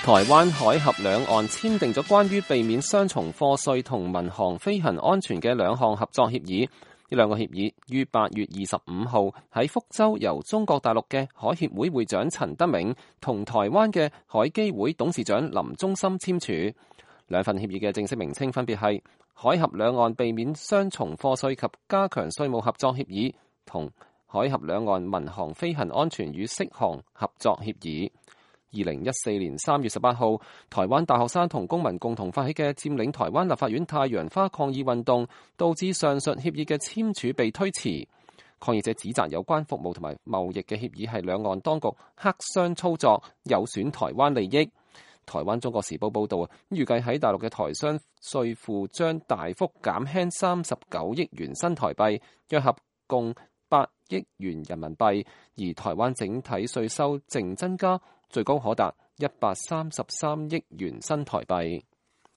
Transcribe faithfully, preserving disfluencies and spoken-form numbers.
台灣海峽兩岸簽訂咗關於避免雙重課稅同民航飛行安全嘅兩項合作協議。呢兩個協議於八月二十五號喺福州由中國大陸嘅海協會會長陳德銘同台灣嘅海基會董事長林忠森簽署。兩份協議嘅正式名稱分別係海峽兩岸避免雙重課稅及加強稅務合作協議同海峽兩岸民航飛行安全與適航合作協議。二零一四年三月十八號，台灣大學生同公民共同發起嘅佔領台灣立法院太陽花抗議運動，導致上述協議嘅簽署被推遲。抗議者指責有關服務同埋貿易嘅協議係兩岸當局黑箱操作，有損台灣利益。台灣中國時報報導啊，預計喺大陸嘅台商稅負將大幅減輕三十九億元新台幣，約合共八億元人民幣，而台灣整體稅收淨增加最高可達一百三十三億元新台幣。